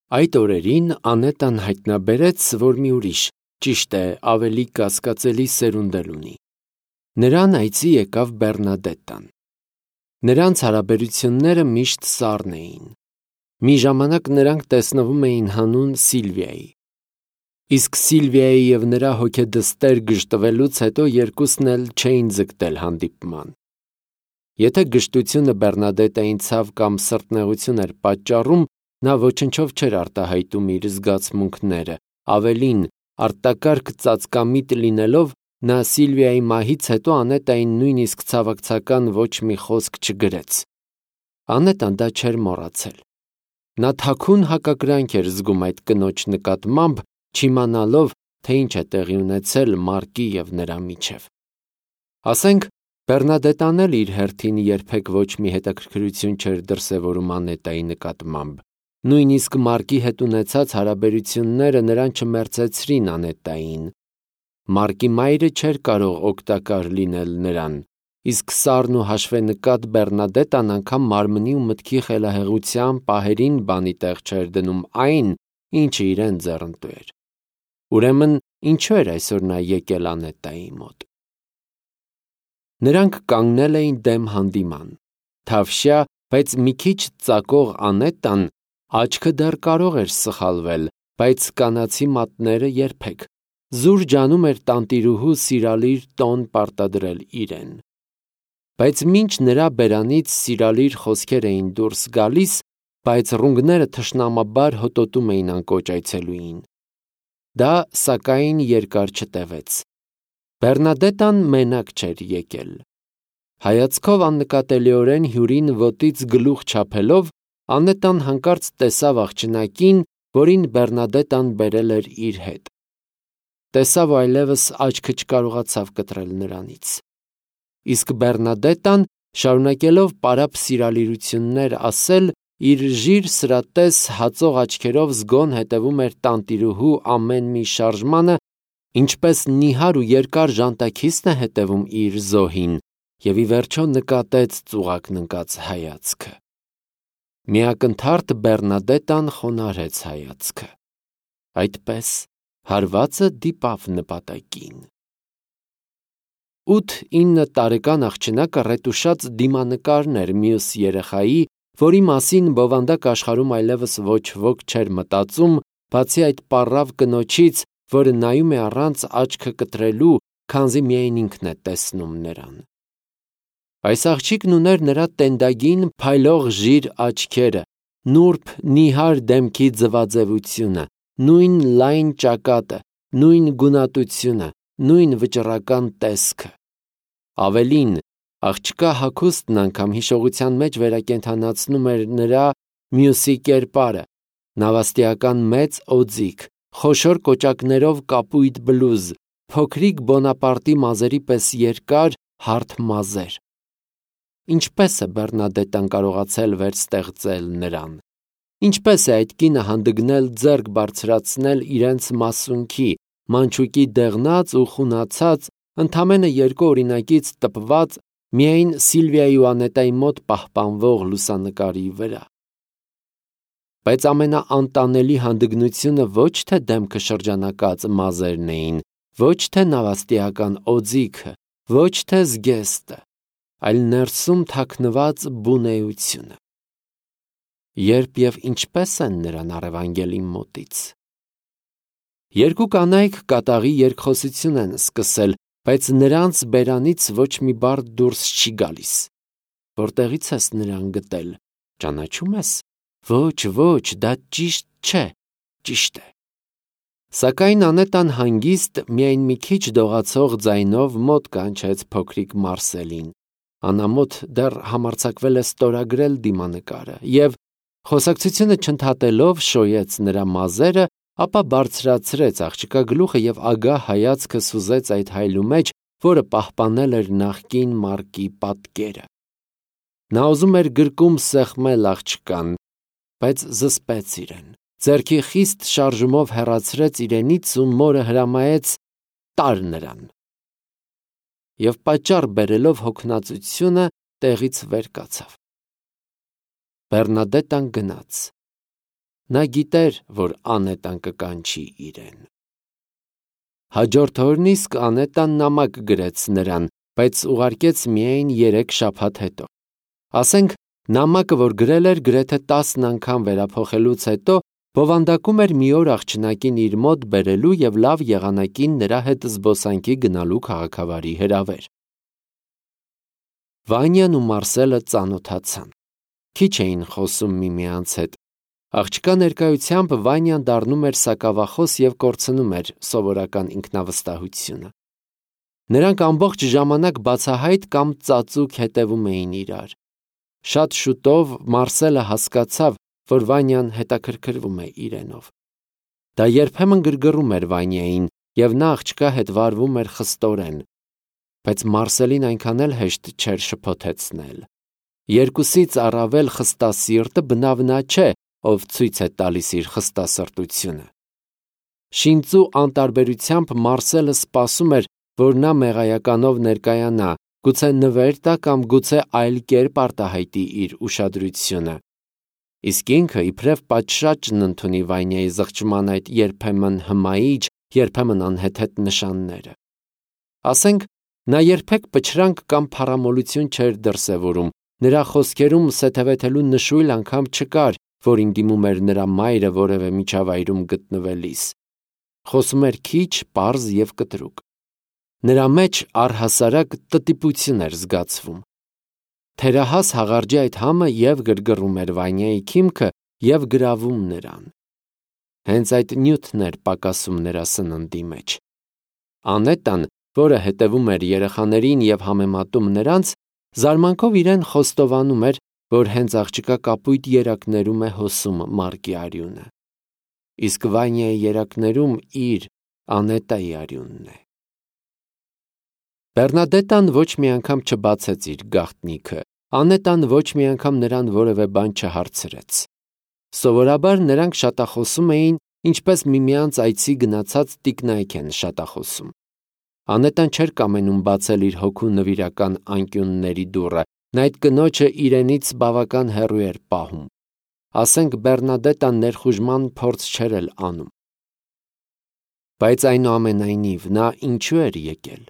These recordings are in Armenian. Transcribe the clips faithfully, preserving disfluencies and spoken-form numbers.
Այդ օրերին Անետան հայտնաբերեց, որ մի ուրիշ, ճիշտ է, ավելի կասկածելի սերունդել ունի։ Նրան այցի եկավ Բեռնադետտան։ Նրանց հարաբերությունները միշտ սառն էին։ Մի ժամանակ նրանք տեսնվում էին հանուն Սիլվիայի։ Իսկ Սիլվիայի և նրա հոգեդստեր գժտվելուց հետո երկուսն էլ չէին ձգտել հանդիպման։ Եթե գժտությունը Բեռնադետտային ցավ կամ սրտնեղություն էր պատճառում, նա ոչնչով չէր արտահայտում իր զգացմունքները, ավելին, արտակարգ ծածկամիտ լինելով, նա Սիլվիայի մահից հետո Անետային նույնիսկ ցավակցական ոչ մի խոսք չգրեց։ Անետան դա չէր մոռացել։ Նա թաքուն հակակրանք էր զգում այդ կնոջ նկատմամբ, չիմանալով, թե ինչ է տեղի ունեցել Մարկի և նրա միջև։ Ասենք, Բեռնադետտան էլ իր հերթին երբեք ոչ մի հետաքրքրություն չէր դրսևորում Անետայի նկատմամբ։ Նույնիսկ Մարկի հետ ունեցած հարաբերությունները նրան չմերձեցրին Անետային։ Մարկի մայրը չէր կարող օգտակար լինել նրան, իսկ սառն ու հաշվենկատ Բեռնադետտան անգամ մարմնի ու մտքի խելահեղության պահերին բանի տեղ չէր դնում այն, ինչը իրեն ձեռնտու էր։ Ուրեմն ինչու էր այսօր նա եկել Անետայի մոտ։ Նրանք կանգնել էին դեմ հանդիման։ Թավշյա, բայց մի քիչ ծակող Անետան աչքը դեռ կարող էր սխալվել, բայց կանացի մատները երբեք։ Զուր ջանում էր տանտիրուհու սիրալիր տոն պարտադրել իրեն։ Բայց մինչ նրա բերանից սիրալիր խոսքեր էին դուրս գալիս, բայց ռունգները թշնամաբար հոտոտում էին անկոչ այցելուին։ Դա, սակայն, երկար չտևեց։ Բեռնադետտան մենակ չէր եկել։ Հայացքով աննկատելիորեն հյուրին ոտից գլուխ չափելով, Անետան հանկարծ տեսավ աղջնակին, որին Բեռնադետտան բերել էր իր հետ։ Տեսավ ու այլևս աչքը չկարողացավ կտրել նրանից։ Իսկ Բեռնադետտան, շարունակելով պարապ սիրալիրություններ ասել, իր ժիր սրատես հածող աչքերով զգոն հետևում էր տանտիրուհու ամեն մի շարժմանը, ինչպես նիհար ու երկար ժանտաքիստն է հետևում իր զոհին, և ի վերջո նկատեց ծուղակն ընկած հայացքը։ Մի ակնթարթ Բեռնադետտան խոնարհեց հայացքը։ Այդպես հարվածը դիպավ նպատակին։ Ութ-ինը տարեկան աղջնակը ռետուշած դիմանկարն էր մյուս երեխայի, որի մասին բովանդակ աշխարհում այլևս ոչ ոք չէր մտածում, բացի այդ պառավ կնոջից, որը նայում է առանց աչքը կտրելու, քանզի միայն ինքն է տեսնում նրան։ Այս աղջիկն ուներ նրա տենդագին փայլող ժիր աչքերը, նուրբ նիհար դեմքի ձվաձևությունը, նույն լայն ճակատը, նույն գունատությունը, նույն վճռական տեսքը։ Ավելին, աղջկա հագուստն անգամ հիշողության մեջ վերակենդանացնում էր նրա մյուսի կերպարը, նավաստիական մեծ օձիք, խոշոր կոճակներով կապույտ բլուզ, փոքրիկ Բոնապարտի մազերի պես երկար, հարթ մազեր։ Ինչպե՞ս է Բեռնադետտան կարողացել վերստեղծել նրան։ Ինչպե՞ս է այդ կինը հանդգնել ձեռք բարձրացնել իրենց մասունքի, մանչուկի դեղնած ու խունացած, ընդամենը երկու օրինակից տպված, միայն Սիլվիայի ու Անետայի մոտ պահպանվող լուսանկարի վրա։ Բայց ամենաանտանելի հանդգնությունը ոչ թե դեմքը շրջանակած մազերն էին, ոչ թե նավաստիական օձիքը, ոչ թե զգեստը, այլ ներսում թաքնված բունեությունը։ Երբ և ինչպես են նրան առևանգել իմ մոտից։ Երկու կանայք կատաղի երկխոսություն են սկսել, բայց նրանց բերանից ոչ մի բառ դուրս չի գալիս։ Որտեղի՞ց ես նրան գտել, ճանաչում ես։ Ոչ, ոչ, դա ճիշտ չէ, ճիշտ է։ Սակայն Անետան հանգիստ, միայն մի քիչ դողացող ձայնով մոտ կանչեց փոքրիկ Մարսելին։ Անամոթ դեռ համարձակվել է ստորագրել դիմանկարը և, խոսակցությունը չընդհատելով, շոյեց նրա մազերը, ապա բարձրացրեց աղջկա գլուխը և ագահ հայացքը սուզեց այդ հայլու մեջ, որը պահպանել էր նախկին Մարկի պատկերը։ Նա ուզում էր գրկում սեղմել աղջկան, բայց զսպեց իրեն, ձեռքի խիստ շարժումով հեռացրեց իրենից ու մորը հրամայեց տար նրան։ Եվ պատճառ բերելով հոգնածությունը տեղից վեր կացավ։ Բեռնադետտան գնաց։ Նա գիտեր, որ Անետան կկանչի իրեն։ Հաջորդ օրն իսկ Անետան նամակ գրեց նրան, բայց ուղարկեց միայն երեք շաբաթ հետո։ Ասենք, նամակը, որ գրել էր, գրեթե տասն անգամ վերափոխելուց հետո, բովանդակում էր մի օր աղջնակին իր մոտ բերելու և լավ եղանակին նրա հետ զբոսանքի գնալու քաղաքավարի հրավեր։ Վանյան ու Մարսելը ծանոթացան։ Քիչ էին խոսում միմյանց հետ։ Աղջկա ներկայությամբ Վանյան դառնում էր սակավախոս և կորցնում էր սովորական ինքնավստահությունը։ Նրանք ամբողջ ժամանակ բացահայտ կամ ծածուկ հետևում էին իրար։ Շատ շուտով Մարսելը հասկացավ, որ Վանյան հետաքրքրվում է իրենով։ Դա երբեմն գրգռում էր Վանյային, և նա աղջկա հետ վարվում էր խստորեն, բայց Մարսելին այնքան էլ հեշտ չէր շփոթեցնել։ Երկուսից առավել խստասիրտը բնավ նա չէ, ով ցույց է տալիս իր խստասրտությունը։ Շինծու անտարբերությամբ Մարսելը սպասում էր, որ նա մեղայականով ներկայանա, գուցե նվեր տա կամ գուցե այլ կերպ արտահայտի իր ուշադրությունը։ Իսկ ինքը իբրև պատշաճն ընդունի Վանյայի զղջման այդ երբեմն հմայիչ, երբեմն անհեթեթ նշանները։ Ասենք, նա երբեք պչրանք կամ փառամոլություն չէր դրսևորում, նրա խոսքերում սեթևեթելու նշույլ անգամ չկար, որին դիմում էր նրա մայրը որևէ միջավայրում գտնվելիս։ Խոսում էր քիչ, պարզ և կտրուկ։ Նրա մեջ առհասարակ տտիպություն էր զգացվում։ Թերահաս հաղարջի այդ համը և գրգռում էր Վանյայի քիմքը և գրավում նրան։ Հենց այդ նյութն էր պակասում նրա սննդի մեջ։ Անետան, որը հետևում էր երեխաներին և համեմատում նրանց, զարմանքով իրեն խոստովանում էր, որ հենց աղջկա կապույտ երակներում է հոսում մարկի արյունը։ Իսկ Վանյայի երակներում իր, Անետայի արյունն է։ Բեռնադետան ոչ մի անգամ չբացեց իր գաղտնիքը, Անետան ոչ մի անգամ նրան որևէ բան չհարցրեց։ Սովորաբար նրանք շատախոսում էին, ինչպես միմյանց այցի գնացած տիկնայք են շատախոսում։ Անետան չէր կամենում բացել իր հոգու նվիրական անկյունների դուռը, նա այդ կնոջը իրենից բավական հեռու էր պահում։ Ասենք, Բեռնադետան ներխուժման փորձ չէր էլ անում։ Բայց այնուամենայնիվ նա ինչու էր եկել։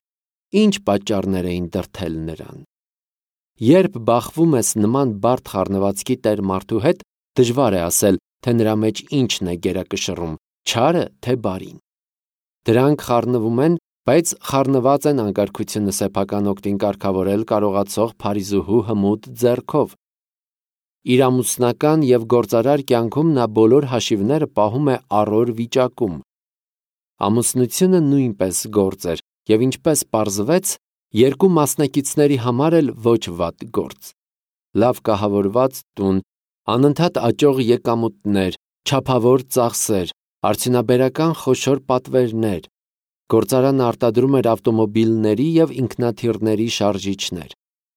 Ինչ պատճառներ էին դրդել նրան։ Երբ բախվում ես նման բարդ խառնվածքի տեր մարդու հետ, դժվար է ասել, թե նրա մեջ ինչն է գերակշռում՝ չարը, թե բարին։ Դրանք խառնվում են, բայց խառնված են անկարգությունը սեփական օգտին կարգավորել կարողացող Փարիզուհու հմուտ ձեռքով։ Իր ամուսնական և գործարար կյանքում նա բոլոր հաշիվները պահում է առօր վիճակում։ Ամուսնությունը նույնպես գործ էր, և ինչպես պարզվեց, երկու մասնակիցների համար էլ ոչ վատ գործ։ Լավ կահավորված տուն, անընդհատ աճող եկամուտներ, չափավոր ծախսեր, արդյունաբերական խոշոր պատվերներ։ Գործարանը արտադրում էր ավտոմոբիլների և ինքնաթիռների շարժիչներ,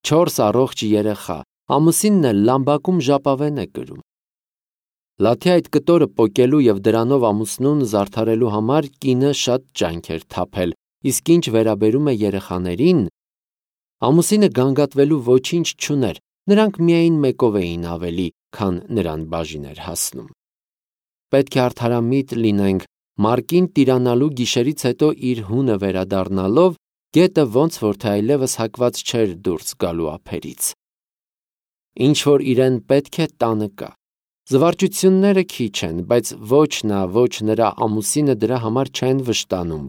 չորս առողջ երեխա, ամուսինն էլ Լամբակում ժապավեն է կրում։ Լաթի այդ կտորը պոկելու և դրանով ամուսնուն զարդարելու համար կինը շատ ջանք էր թափել, իսկ ինչ վերաբերում է երեխաներին, ամուսինը գանգատվելու ոչինչ չուներ, նրանք միայն մեկով էին ավելի, քան նրան բաժին էր հասնում։ Պետք է արդարամիտ լինենք, Մարկին տիրանալու գիշերից հետո իր հունը վերադառնալով, գետը ոնց որ թե այլևս հակված չէր դուրս գալու ափերից։ Ինչ որ իրեն պետք է տանը կա։ Զվարճությունները քիչ են, բայց ոչ նա, ոչ նրա ամուսինը դրա համար չեն վշտանում։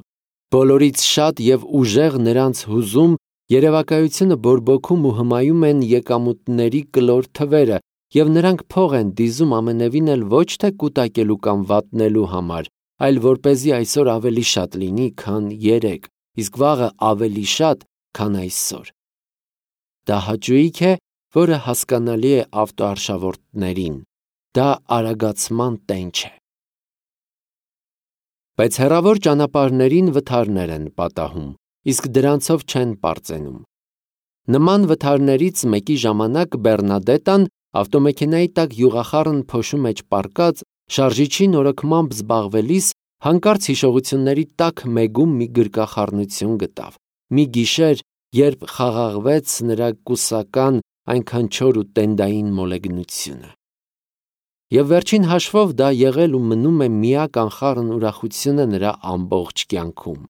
Բոլորից շատ և ուժեղ նրանց հուզում, երևակայությունը բորբոքում ու հմայում են եկամուտների կլոր թվերը, և նրանք փող են դիզում ամենևին էլ ոչ թե կուտակելու կամ վատնելու համար, այլ որպեսզի այսօր ավելի շատ լինի, քան երեկ, իսկ վաղը ավելի շատ, քան այսօր։ Դա հաճույք է, որը հասկանալի է ավտոարշավորդներին, դա արագացման տենչ է։ Բայց հեռավոր ճանապարհներին վթարներ են պատահում, իսկ դրանցով չեն պարծենում։ Նման վթարներից մեկի ժամանակ Բեռնադետան ավտոմեքենայի տակ յուղախառն փոշու մեջ պառկած, շարժիչի նորոգմամբ զբաղվելիս, հանկարծ հիշողությունների տակ մեգում մի գրկախառնություն գտավ, մի գիշեր, երբ խաղաղվեց նրա կուսական, այնքան չոր ու տենդային մոլեգնությունը։ Եվ վերջին հաշվով դա եղել ու մնում է միակ անխառն ուրախությունը նրա ամբողջ կյանքում։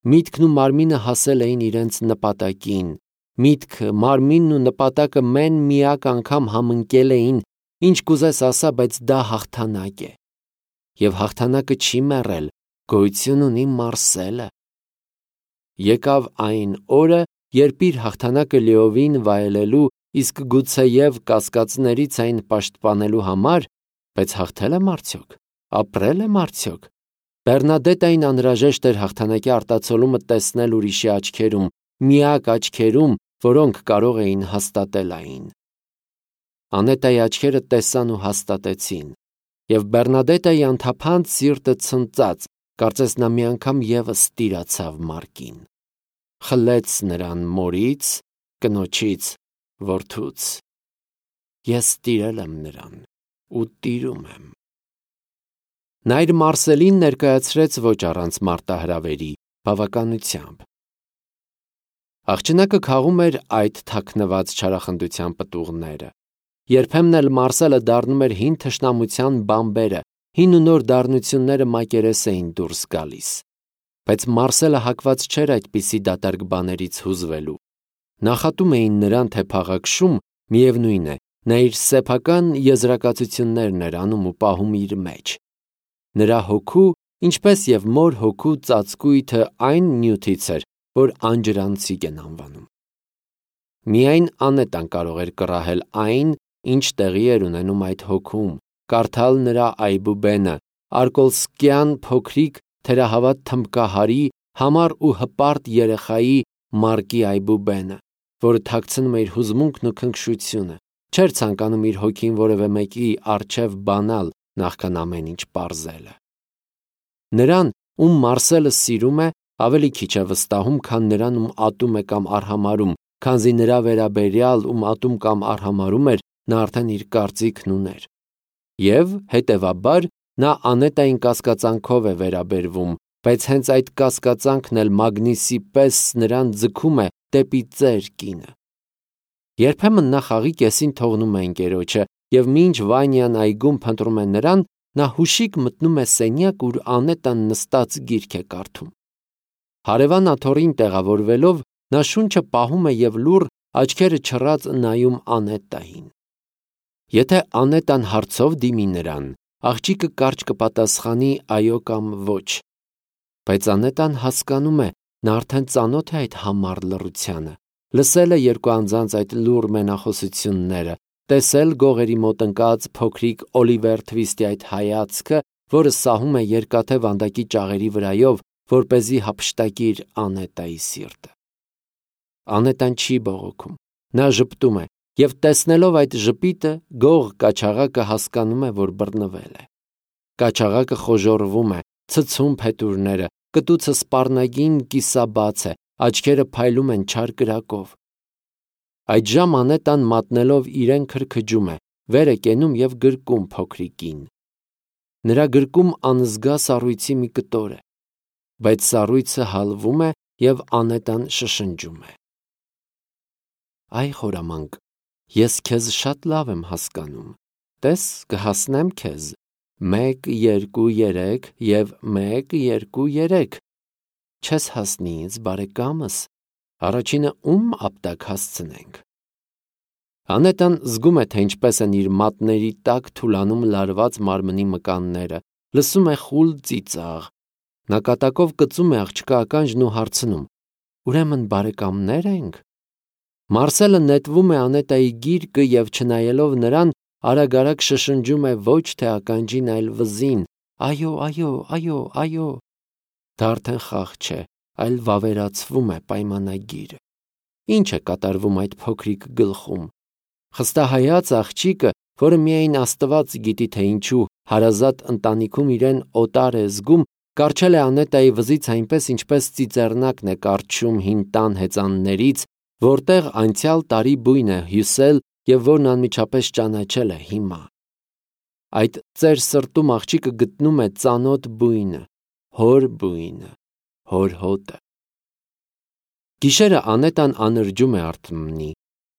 Միտքն ու մարմինը հասել էին իրենց նպատակին։ Միտքը, մարմինն ու նպատակը մեն միակ անգամ համընկել էին, ինչ կուզես ասա, բայց դա հաղթանակ է։ Եվ հաղթանակը չի մեռել, գոյություն ունի Մարսելը։ Եկավ այն օրը, երբ իր հաղթանակը լիովին վայելելու, իսկ գուցեև կասկածներից այն պաշտպանելու համար, բայց հաղթել եմ արդյոք, ապրել եմ արդյոք։ Բեռնադետային անհրաժեշտ էր հաղթանակի արտացոլումը տեսնել ուրիշի աչքերում, միակ աչքերում, որոնք կարող էին հաստատել այն։ Անետայի աչքերը տեսան ու հաստատեցին, եւ Բեռնադետայի անթափանց սիրտը ցնծաց, կարծես նա մի անգամ եւս տիրացավ Մարկին։ Խլեց նրան մորից, կնոջից, որդուց։ Ես տիրել եմ նրան ու տիրում եմ։ Նա իր Մարսելին ներկայացրեց ոչ առանց մարտահրավերի, բավականությամբ։ Աղջնակը քաղում էր այդ թաքնված չարախնդության պտուղները։ Երբեմն էլ Մարսելը դառնում էր հին թշնամության բամբերը, հին ու նոր դառնությունները մակերես էին դուրս գալիս։ Բայց Մարսելը հակված չէր այդպիսի դատարկ բաներից հուզվելու։ Նախատում էին նրան, թե փաղաքշում, միևնույն է, նա իր սեփական եզրակացություններն էր անում ու պահում իր մեջ։ Նրա հոգու, ինչպես և մոր հոգու ծածկույթը այն նյութից էր, որ անջրանցիկ են անվանում։ Միայն Անետան կարող էր կռահել այն, ինչ տեղի էր ունենում այդ հոգում, կարդալ նրա այբուբենը, արկոլսկյան փոքրիկ թերահավատ թմբկահարի, համառ ու հպարտ երեխայի Մարկի այբուբենը, որը թաքցնում է իր հուզմունքն ու քնքշությունը, չէր ցանկանում իր հոգին որևէ մեկի առջև բանալ, նախքան ամեն ինչ պարզելը։ Նրան, ում Մարսելը սիրում է, ավելի քիչ է վստահում, քան նրան, ում ատում է կամ արհամարհում, քանզի նրա վերաբերյալ, ում ատում կամ արհամարհում էր, նա արդեն իր կարծիքն ուներ։ Եվ, հետևաբար, նա Անետային կասկածանքով է վերաբերվում, բայց հենց այդ կասկածանքն էլ մագնիսի պես նրան ձգում է դեպի ծեր կինը։ Երբեմն նա խաղի կեսին թողնում է ընկերոջը, և մինչ Վանյան այգում փնտրում է նրան, նա հուշիկ մտնում է սենյակ, ուր Անետան նստած գիրք է կարդում։ Հարևան աթոռին տեղավորվելով, նա շունչը պահում է և լուռ, աչքերը չռած նայում Անետային։ Եթե Անետան հարցով դիմի նրան, աղջիկը կարճ կպատասխանի այո կամ ոչ։ Բայց Անետան հասկանում է, նա արդեն ծանոթ է այդ համառ լռությանը, լսել է երկու անձանց այդ լուռ մենախոսությունները, տեսել գողերի մոտ ընկած փոքրիկ Օլիվեր Թվիստի այդ հայացքը, որը սահում է երկաթե վանդակի ճաղերի վրայով, որպեսզի հափշտակի իր Անետայի սիրտը։ Անետան չի բողոքում, նա ժպտում է, և տեսնելով այդ ժպիտը, գող կաչաղակը հասկանում է, որ բռնվել է։ Կաչաղակը խոժոռվում է, ցցում փետուրները, կտուցը սպառնագին կիսաբաց է, աչքերը փայլում են չար կրակով։ Այդժամ Անետան մատնելով իրեն քրքջում է, վեր է կենում և գրկում փոքրիկին։ Նրա գրկում անզգա սառույցի մի կտոր է, բայց սառույցը հալվում է և Անետան շշնջում է. Այ խորամանկ, ես քեզ շատ լավ եմ հասկանում, տես կհասնեմ քեզ, մեկ, երկու, երեք և մեկ, երկու, երեք, չես հասնի ինձ, բարեկամս, առաջինը ում ապտակ հասցնենք։ Անետան զգում է, թե ինչպես են իր մատների տակ թուլանում լարված մարմնի մկանները, լսում է խուլ ծիծաղ։ Նա կատակով կծում է աղջկա ականջն ու հարցնում. ուրեմն բարեկամնե՞ր ենք։ Մարսելը նետվում է Անետայի գիրկը և չնայելով նրան, արագ-արագ շշնջում է ոչ թե ականջին, այլ վզին. այո, այո, այո, այո։ Դա արդեն խաղ չէ, այլ վավերացվում է պայմանագիրը։ Ինչ է կատարվում այդ փոքրիկ գլխում։ Խստահայաց աղջիկը, որը միայն Աստված գիտի, թե ինչու հարազատ ընտանիքում իրեն օտար է զգում, կառչել է Անետայի վզից այնպես, ինչպես ծիծեռնակն է կառչում հին տան հեծաններից, որտեղ անցյալ տարի բույն է հյուսել և որն անմիջապես ճանաչել է հիմա։ Այդ ծեր սրտում աղջիկը գտնում է ծանոթ բույնը, հոր բույնը, հոր հոտը։ Գիշերը Անետան անրջում է արթնի։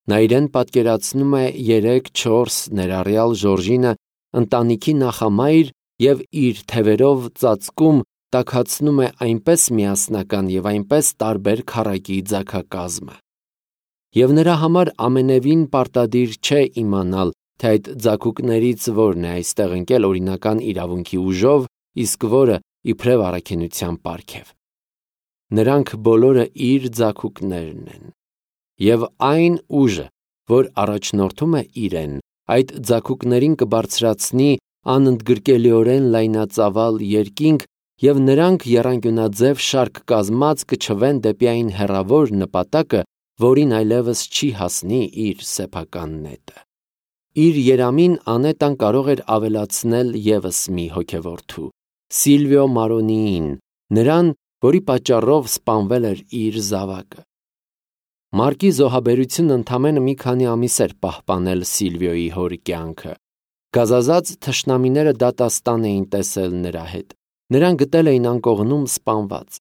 Նա իրեն պատկերացնում է երեք, չորս, ներառյալ Ժորժինը, ընտանիքի նախամայր և իր թևերով ծածկում տաքացնում է այնպես միասնական և այնպես տարբեր քառակի ձագակազմը։ Եվ նրա համար ամենևին պարտադիր չէ իմանալ, թե այդ ձագուկներից որն է այստեղ ընկել օրինական իրավունքի ուժով, իսկ որը իբրև առաքինության պարգև։ Նրանք բոլորը իր ձագուկներն են։ Եվ այն ուժը, որ առաջնորդում է իրեն, այդ ձագուկներին կբարձրացնի անընդգրկելիորեն լայնածավալ երկինք, և նրանք եռանկյունաձև շարք կազմած կչվեն դեպի այն հեռավոր նպատակը, որին այլևս չի հասնի իր սեփական նետը։ Իր երամին Անետան կարող էր ավելացնել ևս մի հոգևորթու՝ Սիլվիո Մարոնիին, նրան, որի պատճառով սպանվել էր իր զավակը։ Մարկի զոհաբերությունը ընդամենը մի քանի ամիս էր պահպանել Սիլվիոյի հոր կյանքը։ Գազազած թշնամիները դատաստան էին տեսել նրա հետ, նրան գտել էին անկողնում սպանված։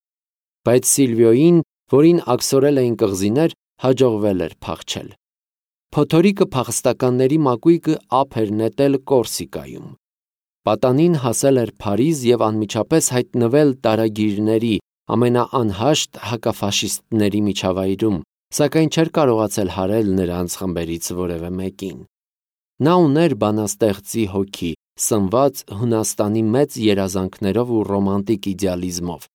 Բայց Սիլվիոյին, որին աքսորել էին կղզիներ, հաջողվել էր փախչել։ Փոթորիկը փախստականների մակույկը ափ էր նետել Կորսիկայում։ Պատանին հասել էր Փարիզ և անմիջապես հայտնվել տարագիրների ամենաանհաշտ հակաֆաշիստների միջավայրում, սակայն չէր կարողացել հարել նրանց խմբերից որևէ մեկին։ Նա ուներ բանաստեղծի հոգի, սնված Հունաստանի մեծ երազանքներով ու ռոմանտիկ իդեալիզմով։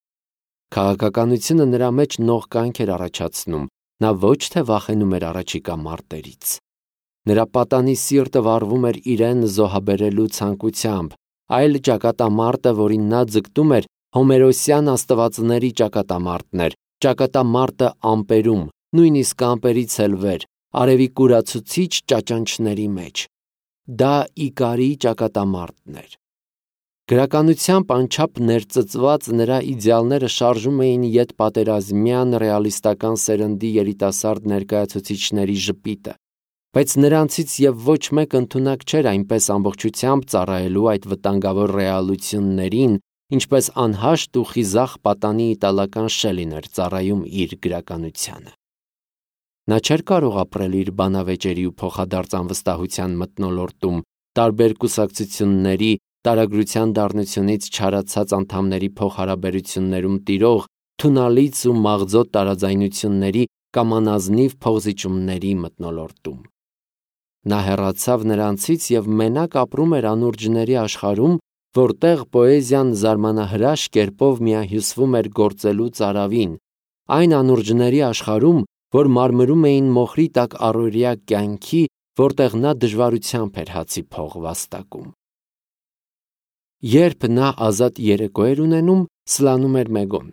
Քաղաքականությունը նրա մեջ նողկանք էր առաջացնում, նա ոչ թե վախենում էր առաջիկա մարտերից։ Նրա պատանի սիրտը վառվում էր իրեն զոհաբերելու ցանկությամբ, այլ ճակատամարտը, որին նա ձգտում էր, հոմերոսյան աստվածների ճակատամարտն էր, ճակատամարտը ամպերում, նույնիսկ ամպերից էլ վեր, արևի կուրացուցիչ ճաճանչների մեջ։ Դա Իկարի ճակատամարտն էր։ Գրականությամբ անչափ ներծծված նրա իդեալները շարժում էին ետպատերազմյան ռեալիստական սերնդի երիտասարդ ներկայացուցիչների ժպիտը, բայց նրանցից և ոչ մեկ ընդունակ չէր այնպես ամբողջությամբ ծառայելու այդ վտանգավոր ռեալություններին, ինչպես անհաշտ ու խիզախ պատանի իտալական Շելին էր ծառայում իր գրականությանը։ Նա չէր կարող ապրել իր բանավեճերի ու փոխադարձ անվստահության մթնոլորտում, տարբեր կուսակցությունների, տարագրության դառնությունից չարացած անդամների փոխհարաբերություններում տիրող թունալից ու մաղձոտ տարաձայնությունների կամ անազնիվ փոխզիջումների մթնոլորտում։ Նա հեռացավ նրանցից և մենակ ապրում էր անուրջների աշխարհում, որտեղ պոեզիան զարմանահրաշ կերպով միահյուսվում էր գործելու ծարավին, այն անուրջների աշխարհում, որ մարմրում էին մոխրի տակ առօրյա կյանքի, որտեղ նա դժվարությամբ էր հացի փող վաստակում։ Երբ նա ազատ երեկո էր ունենում, սլանում էր Մեգոն։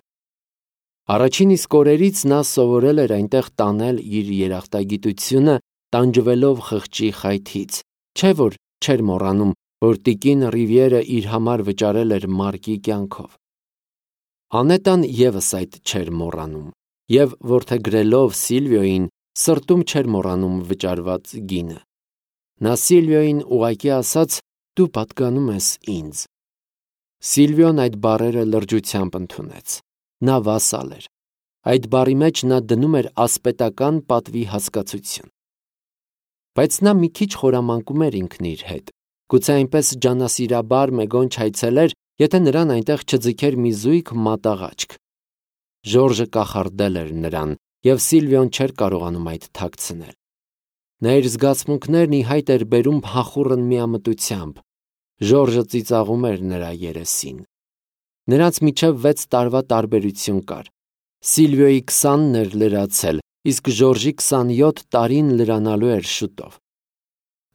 Առաջին իսկ օրերից նա սովորել էր այնտեղ տանել իր երախտագիտությունը, տանջվելով խղճի խայթից, չէ՞ որ չէր մոռանում, որ տիկին Ռիվիերը իր համար վճարել էր Մարկի կյանքով։ Անետան ևս այդ չէր մոռանում, և որդեգրելով Սիլվիոյին, սրտում չէր մոռանում վճարված գինը։ Նա Սիլվիոյին ուղղակի ասաց. «Դու պատկանում ես ինձ»։ Սիլվիոն այդ բառերը լրջությամբ ընդունեց։ Նա վասալ էր։ Այդ բառի մեջ նա դնում էր ասպետական պատվի հասկացություն։ Բայց նա մի քիչ խորամանկում էր ինքն իր հետ։ Գուցե այնպես ջանասիրաբար Մեգոն չայցելեր, եթե նրան այնտեղ չձգեր մի զույգ մատաղաչք։ Ժորժը կախարդել էր նրան, և Սիլվիոն չէր կարողանում այդ թաքցնել։ Նա իր զգացմունքներն ի հայտ էր բերում փախուռն միամտությամբ։ Ժորժը ծիծաղում էր նրա երեսին։ Նրանց միջև վեց տարվա տարբերություն կար։ Սիլվիոյի քսանն էր լրացել, իսկ Ժորժի քսանյոթ տարին լրանալու էր շուտով։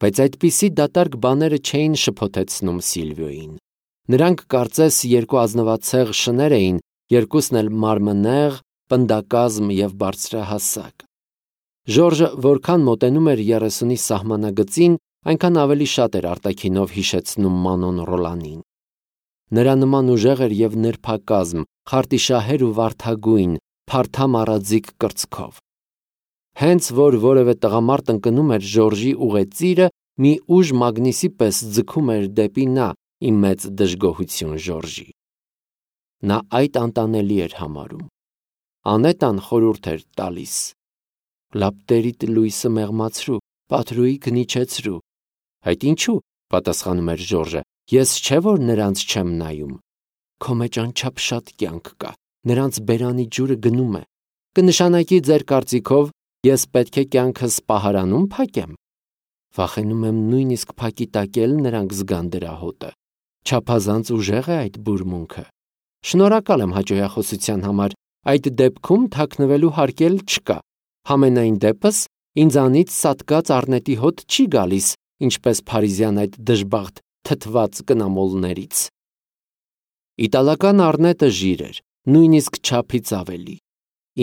Բայց այդպիսի դատարկ բաները չէին շփոթեցնում Սիլվիոյին։ Նրանք կարծես երկու ազնվացեղ շներ էին, երկուսն էլ մարմնեղ, պնդակազմ և բարձրահասակ։ Ժորժը որքան մոտենում էր երեսունի սահմանագծին, այնքան ավելի շատ էր արտաքինով հիշեցնում Մանոն Ռոլանին։ Նրա նման ուժեղ էր և նրբակազմ, խարտիշահեր ու վարդագույն, փարթամ առաձիգ կրծքով։ Հենց որ որևէ տղամարդ ընկնում էր Ժորժի ուղեծիրը, մի ուժ մագնիսի պես ձգում էր դեպի նա, ի մեծ դժգոհություն Ժորժի։ Նա այդ անտանելի էր համարում։ Անետան խորհուրդ էր տալիս. «Լապտերիդ լույսը մեղմացրու, պատրուիդ հնիչեցրու»։ Այդ ինչու, պատասխանում էր Ժորժը, ես չէ որ նրանց չեմ նայում։ Քո մեջ անչափ շատ կյանք կա, նրանց բերանի ջուրը գնում է։ Կնշանակի ձեր կարծիքով ես պետք է կյանքս պահարանում փակեմ։ Վախենում եմ նույնիսկ փակի տակել նրանք զգան դրա հոտը։ Չափազանց ուժեղ է այդ բուրմունքը։ Շնորհակալ եմ հաճոյախոսության համար, այդ դեպքում թաքնվելու հարկել չկա։ Համենայն դեպս ինձանից սատկած առնետի հոտ չի գալիս, ինչպես փարիզյան այդ դժբախտ թթված կնամոլներից։ Իտալական առնետը ժիր էր, նույնիսկ չափից ավելի։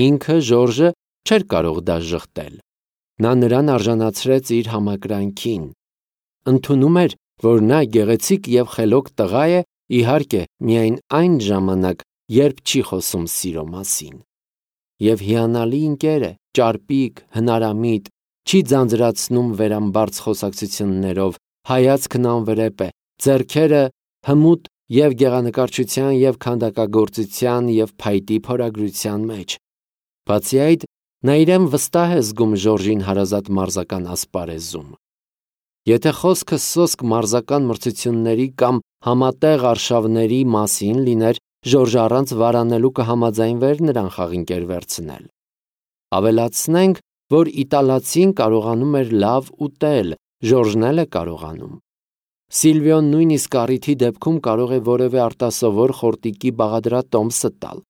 Ինքը Ժորժը չէր կարող դա ժխտել։ Նա նրան արժանացրեց իր համակրանքին։ Ընդունում էր, որ նա գեղեցիկ և խելոք տղա է, իհարկե, միայն այն ժամանակ, երբ չի խոսում սիրո մասին։ Եվ հիանալի ընկեր է, ճարպիկ, հնարամիտ, չի ձանձրացնում վերամբարձ խոսակցություններով, հայացքն անվրեպ է, ձեռքերը հմուտ և գեղանկարչության և քանդակագործության և փայտի փորագրության մեջ։ Բացի այդ, նա իրեն վստահ է զգում Ժորժին հարազատ մարզական ասպարեզում։ Եթե խոսքը սոսկ մարզական մրցությունների կամ համատեղ արշավների մասին լիներ, Ժորժը առանց վարանելու կհամաձայնվեր նրան խաղինկեր վերցնել։ Ավելացնենք, որ իտալացին կարողանում էր լավ ուտել, Ժորժն էլ է կարողանում։ Սիլվիոն նույնիսկ առիթի դեպքում կարող է որևէ արտասովոր խորտիկի բաղադրատոմսը տալ։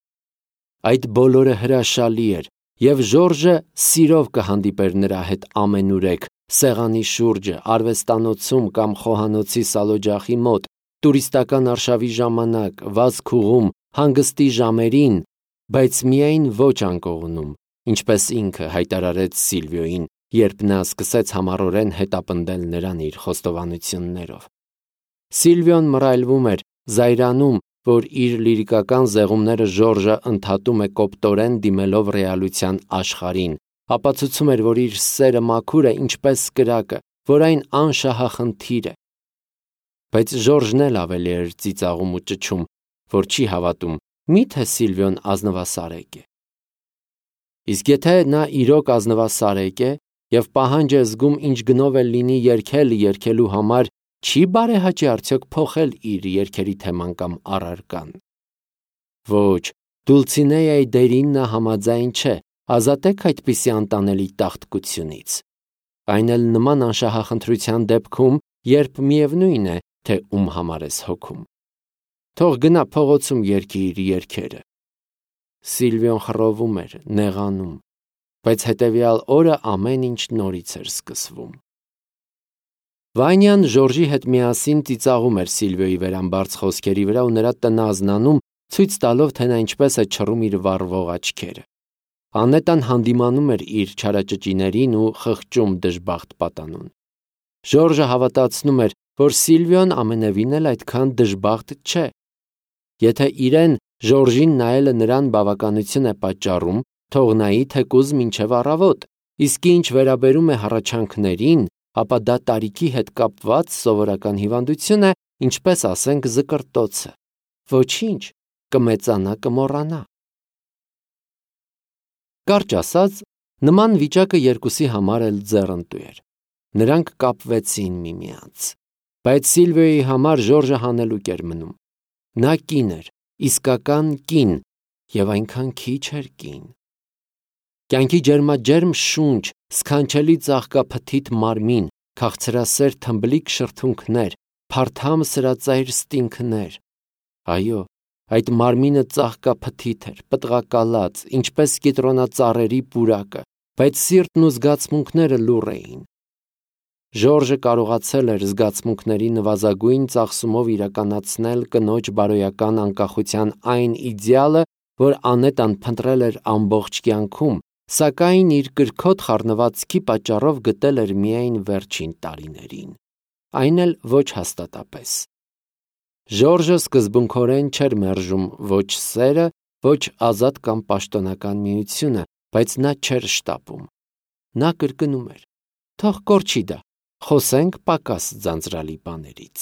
Այդ բոլորը հրաշալի էր, և Ժորժը սիրով կհանդիպեր նրա հետ ամենուրեք, սեղանի շուրջը, արվեստանոցում կամ խոհանոցի սալօջախի մոտ, տուրիստական արշավի ժամանակ, վազքուղում, հանգստի ժամերին, բայց միայն ոչ անկողնում, ինչպես ինքը հայտարարեց Սիլվիոյին, երբ նա սկսեց համառորեն հետապնդել նրան իր խոստովանություններով։ Սիլվիոն մռայլվում էր, զայրանում, որ իր լիրիկական զեղումները Ժորժը ընդհատում է կոպտորեն դիմելով ռեալության աշխարհին, ապացուցում էր, որ իր սերը մաքուր է ինչպես կրակը, որ այն անշահախնդիր է։ Բայց Ժորժն էլ ավելի էր ծիծաղում ու ճչում, որ չի հավատում, միթե Սիլվիոն ազնվասարեկ է։ Իսկ եթե նա իրոք ազնվասարեկ է և պահանջ է զգում ինչ գնով էլ լինի երգել երգելու համար, չի բարեհաճի արդյոք փոխել իր երգերի թեման կամ առարկան։ Ոչ, Դուլցինեայի դերին նա համաձայն չէ, ազատեք այդպիսի անտանելի տաղտկությունից։ Այն էլ նման անշահախնդրության դեպքում, երբ միևնույն է, թե ում համար ես հոգում։ Թող գնա փողոցում երգի իր երգերը։ Սիլվիոն խռովում էր, նեղանում, բայց հետևյալ օրը ամեն ինչ նորից էր սկսվում։ Վանյան Ժորժի հետ միասին ծիծաղում էր Սիլվիոյի վերամբարձ խոսքերի վրա ու նրա տնազնանում, ցույց տալով, թե նա ինչպես է չռում իր վառվող աչքերը։ Անետան հանդիմանում էր իր չարաճճիներին ու խղճում դժբախտ պատանուն։ Ժորժը հավատացնում էր, որ Սիլվիոն ամենևին էլ այդքան դժբախտ չէ։ Եթե իրեն Ժորժին նայելը նրան բավականություն է պատճառում, թող նայի թեկուզ մինչև առավոտ, իսկ ինչ վերաբերում է հառաչանքներին, ապա դա տարիքի հետ կապված սովորական հիվանդություն է, ինչպես ասենք զկրտոցը։ Ոչինչ, կմեծանա, կմոռանա։ Կարճ ասած, նման վիճակը երկուսի համար էլ ձեռնտու էր։ Նրանք կապվեցին միմյանց։ Բայց Սիլվիոյի համար Ժորժը հանելուկ էր մնում։ Նա կին էր, իսկական կին, և այնքան քիչ էր կին։ Կյանքի ջերմաջերմ շունչ, սքանչելի ծաղկափթիթ մարմին, քաղցրասեր թմբլիկ շրթունքներ, փարթամ սրածայր ստինգներ։ Այո, այդ մարմինը ծաղկափթիթ էր, պտղակալած, ինչպես կիտրոնածառերի պուրակը, բայց սիրտն ու զգացմունքները լուռ էին։ Ժորժը կարողացել էր զգացմունքների նվազագույն ծախսումով իրականացնել կնոջ բարոյական անկախության այն իդեալը, որ Անետան փնտրել էր ամբողջ կյանքում, սակայն իր կրքոտ խառնվածքի պատճառով գտել էր միայն վերջին տարիներին, այն էլ ոչ հաստատապես։ Ժորժը սկզբունքորեն չէր մերժում ոչ սերը, ոչ ազատ կամ պաշտոնական միությունը, բայց նա չէր շտապում։ Նա կրկնում էր. թող կորչի դա, խոսենք պակաս ձանձրալի բաներից։